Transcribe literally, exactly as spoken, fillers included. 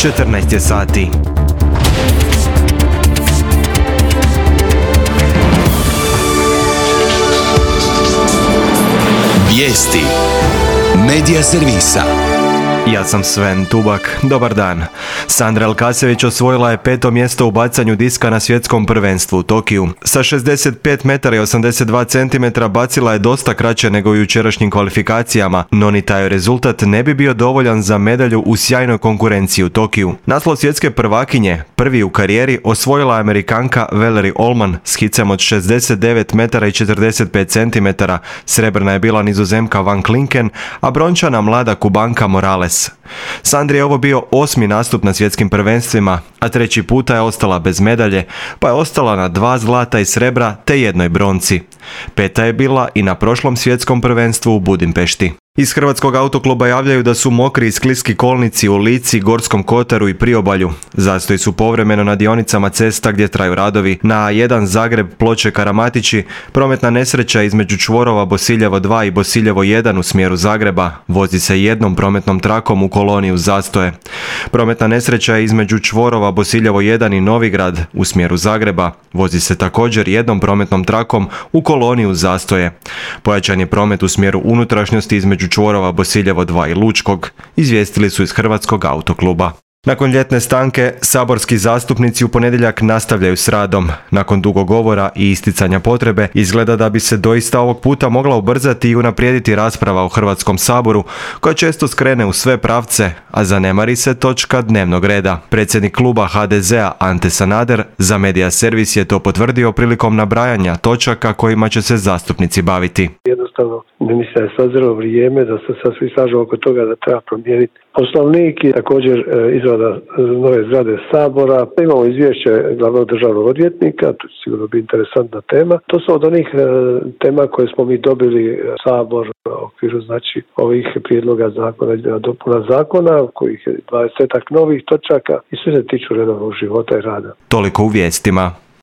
četrnaest je sati. Vijesti Medija servisa. Ja sam Sven Tubak, dobar dan. Sandra Elkasević osvojila je peto mjesto u bacanju diska na svjetskom prvenstvu u Tokiju. Sa šezdeset pet metara i osamdeset dva centimetra bacila je dosta kraće nego u jučerašnjim kvalifikacijama, no ni taj rezultat ne bi bio dovoljan za medalju u sjajnoj konkurenciji u Tokiju. Naslov svjetske prvakinje, prvi u karijeri, osvojila je Amerikanka Valerie Allman s hicem od šezdeset devet metara i četrdeset pet centimetara. Srebrna je bila Nizozemka Van Klinken, a brončana mlada Kubanka Morales. Sandri je ovo bio osmi nastup na svjetskim prvenstvima, a treći puta je ostala bez medalje, pa je ostala na dva zlata i srebra te jednoj bronci. Peta je bila i na prošlom svjetskom prvenstvu u Budimpešti. Iz Hrvatskog autokluba javljaju da su mokri i skliski kolnici u Lici, Gorskom kotaru i Priobalju. Zastoji su povremeno na dionicama cesta gdje traju radovi. Na A jedan Zagreb, Ploče, Karamatići, prometna nesreća između čvorova Bosiljevo dva i Bosiljevo jedan u smjeru Zagreba. Vozi se jednom prometnom trakom u koloni uz zastoje. Prometna nesreća je između čvorova Bosiljevo jedan i Novigrad u smjeru Zagreba. Vozi se također jednom prometnom trakom u koloni uz zastoje. Pojačan je promet u smjeru unutrašnjosti između čvorova Bosiljevo dva i Lučkog, izvijestili su iz Hrvatskog autokluba. Nakon ljetne stanke, saborski zastupnici u ponedjeljak nastavljaju s radom. Nakon dugog govora i isticanja potrebe, izgleda da bi se doista ovog puta mogla ubrzati i unaprijediti rasprava u Hrvatskom saboru, koja često skrene u sve pravce, a zanemari se točka dnevnog reda. Predsjednik kluba ha de zea Ante Sanader za Medija servis je to potvrdio prilikom nabrajanja točaka kojima će se zastupnici baviti. Jednostavno, mislim da je sazrelo vrijeme da se sad svi slažu oko toga da treba promijeniti Poslovnik i također izrada nove zgrade Sabora. Imamo izvješće glavnog državnog odvjetnika, to će sigurno biti interesantna tema. To su od onih tema koje smo mi dobili Sabor u okviru znači ovih prijedloga zakona i dopuna zakona, kojih je dvadesetak novih točaka i sve se tiču redovnog života i rada. Toliko u vijestima.